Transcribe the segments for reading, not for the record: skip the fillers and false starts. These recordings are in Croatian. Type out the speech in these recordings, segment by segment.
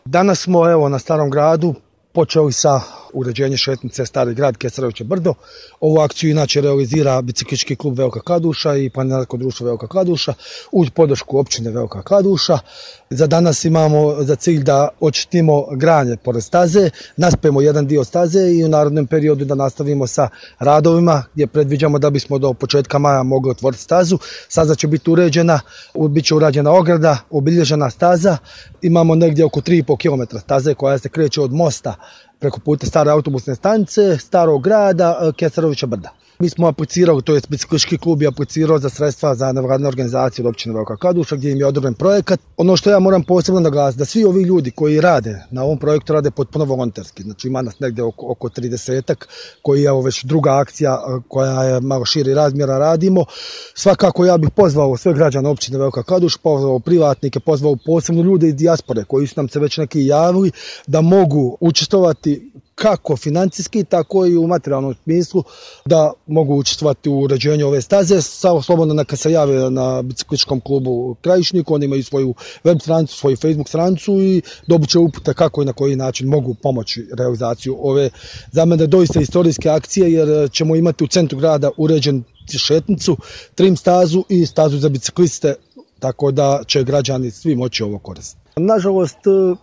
Danas smo evo na Starom gradu počeli sa uređenjem šetnice Stari grad Kesaroviće brdo. Ovu akciju inače realizira biciklistički klub Velika Kladuša i planinarsko društvo Velika Kladuša uz podršku općine Velika Kladuša. Za danas imamo za cilj da očistimo granje pored staze, naspemo jedan dio staze i u narednom periodu da nastavimo sa radovima gdje predviđamo da bismo do početka maja mogli otvoriti stazu. Staza će biti uređena, bit će urađena ograda, obilježena staza. Imamo negdje oko 3,5 km staze koja se kreće od mosta preko puta stare autobusne stanice, Starog grada, Kesarovića brda. Mi smo aplicirali, to je biciklistički klub je aplicirao za sredstva za nevladine organizacije od općine Velika Kladuša gdje im je odobren projekat. Ono što ja moram posebno naglasiti da svi ovi ljudi koji rade na ovom projektu rade potpuno volonterski. Znači ima nas negdje oko 30-ak koji je već druga akcija koja je malo širi razmjera radimo. Svakako ja bih pozvao sve građane općine Velika Kladuša, pozvao privatnike, pozvao posebno ljude iz dijaspore koji su nam se već neki javili da mogu učestvovati kako financijski, tako i u materijalnom smislu da mogu učestvovati u uređenju ove staze. Slobodno neka se jave na biciklističkom klubu Krajišnik, oni imaju svoju web stranicu, svoju Facebook stranicu i dobit će upute kako i na koji način mogu pomoći realizaciju ove za mene doista istorijske akcije jer ćemo imati u centru grada uređen šetnicu, trim stazu i stazu za bicikliste, tako da će građani svi moći ovo koristiti. Nažalost,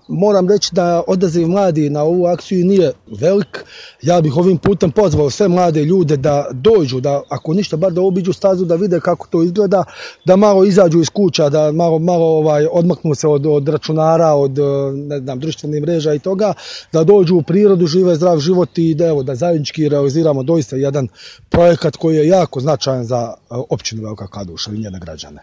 moram reći da odaziv mladi na ovu akciju nije velik. Ja bih ovim putem pozvao sve mlade ljude da dođu, da ako ništa bar da obiđu stazu, da vide kako to izgleda, da malo izađu iz kuća, da malo odmaknu se od računara, od društvenih mreža i toga, da dođu u prirodu, žive zdrav život i da zajednički realiziramo doista jedan projekat koji je jako značajan za općinu Velika Kladuša i njene građane.